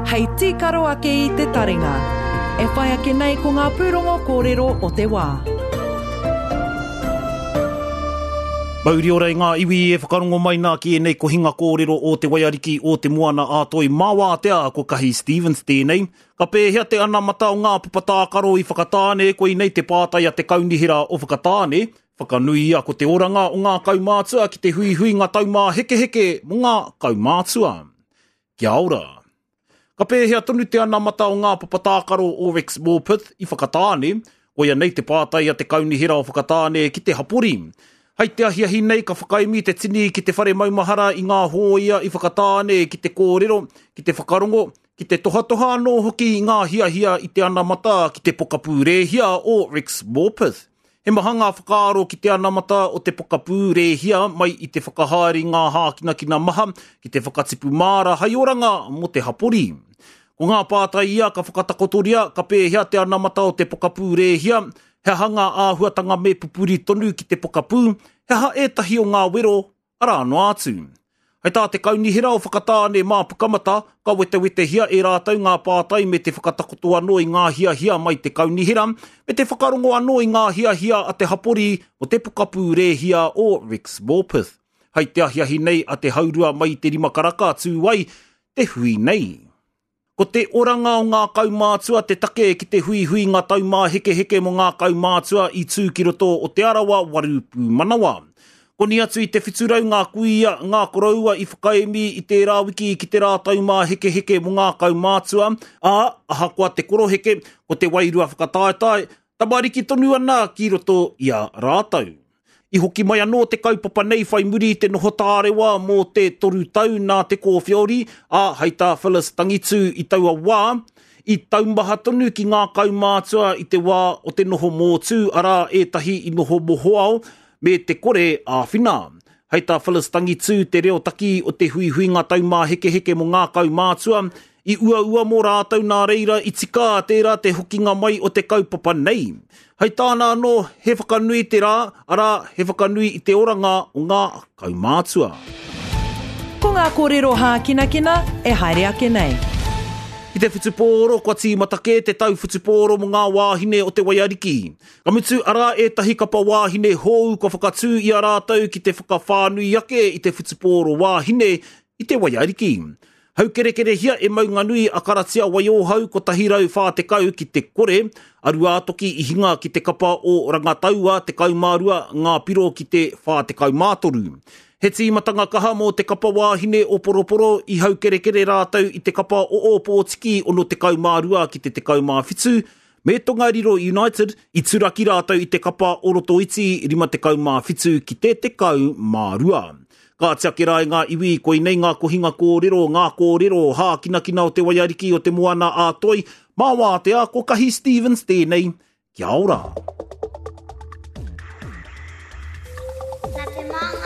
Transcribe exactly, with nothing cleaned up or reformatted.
Hei tīkaro ake i te taringa. E whai ake nei ko ngā pūrongo kōrero o te wā. Mauri ora i ngā iwi e whakarongo mai nā ki ēnei kohinga kōrero o te waiariki o te moana a Toi Māwātea ko Kahi Stevens tēnei. Ka pēhea te anamata o ngā papatākaro i Whakatāne, koinei te pātai a te kaunihera o Whakatāne. Whakanuia ko te oranga o ngā kaumātua ki te huihuinga taumāhekeheke mō ngā kaumātua. Kia ora. Ka pēhea tonu te anamata o ngā papatākaro o Rex Morpeth i Whakatāne, koia nei te pātai a te kaunihera o Whakatāne ki te hapori. Hei te ahiahi nei ka whakaemi te tini ki te whare maumahara i ngā hōia i Whakatāne ki te kōrero, ki te whakarongo, ki te tohatoha anō hoki i ngā hiahia i te anamata ki te pokapū rēhia o Rex Morpeth. He maha ngā whakaaro ki te anamata o te pokapū rēhia mai i te whakahaere i ngā hākinakina maha ki te whakatipu māra hai oranga mō te hapori. Ko ngā pātai ia ka whakatakotoria, ka pēhea te anamata o te pokapū rēhia, he aha ngā āhuatanga me pupuri tonu ki te pokapū, he aha ētahi o ngā wero, arā noa atu. Hei tā te kaunihera o Whakatāne mā Pukamata, ka wetewetehia e rātou ngā pātai me te whakatakoto anō i ngā hiahia mai te kaunihera, me te whakarongo anō i ngā hiahia a te hapori o te pokapū rēhia o Rex Morpeth. Hei te ahiahi nei a te haurua mai i te rima karaka tū ai te hui nei. Ko te oranga o ngā kaumātua te take ki te huihuinga taumāhekeheke mō ngā kaumātua i tū ki roto o Te Arawa waru pūmanawa. Koni atu i te whiturau ngā kuia, ngā koroua i whakaemi i tērā wiki ki te rā taumāhekeheke mō ngā kaumātua, ā, ahakoa te koroheke, ko te wairua whakataetae, tamariki tonu ana ki roto i a rātou. I hoki mai anō te kaupapa nei whai muri i te noho tārewa mō te toru tau nā te kōwhiori, ā, hei tā Phyllis Tangitū i taua wā, i taumaha tonu ki ngā kaumātua i te wā o te noho mōtū, arā ētahi i noho mohoao me te kore āwhina. Hei tā Phyllis Tangitū te reo taki o te huihuinga taumāhekeheke mō ngā kaumātua, i uaua mō rātou nā reira i tika tērā te hokinga mai o te kaupapa nei. Hei tāna anō, he whakanui te rā, arā, he whakanui i te oranga o ngā kaumātua. Ko ngā kōrero hākinakina e haere ake nei. Ki te whutupōro, kua tīmata kē te tau whutupōro mō ngā wāhine o te waiariki. Ka mutu, arā ētahi kapa wāhine hou kua whakatū i a rātou ki te whakawhānui ake i te whutupōro wāhine i te waiariki. Haukerekerehia e Maunganui a Karatia Waiohau kotahi rau whā tekau ki te kore, a Ruātoki i hinga ki te kapa o Rangataua tekau mā rua ngā piro ki te whā tekau mā toru. He tīmatanga kaha mō te kapa wāhine o Poroporo i haukerekere rātou i te kapa o Ōpōtiki ono tekau mā rua ki te tekau mā whitu, me Tongariro United i turaki rātou i te kapa o Rotoiti rima tekau mā whitu ki te tekau mā rua. Ka tiake rā i ngā iwi, koinei ngā kohinga kōrero, ngā kōrero, hākinakina o te waiariki o te moana a Toi, mā wātea ko Kahi Stevens tēnei. Kia ora. Nā te Māngai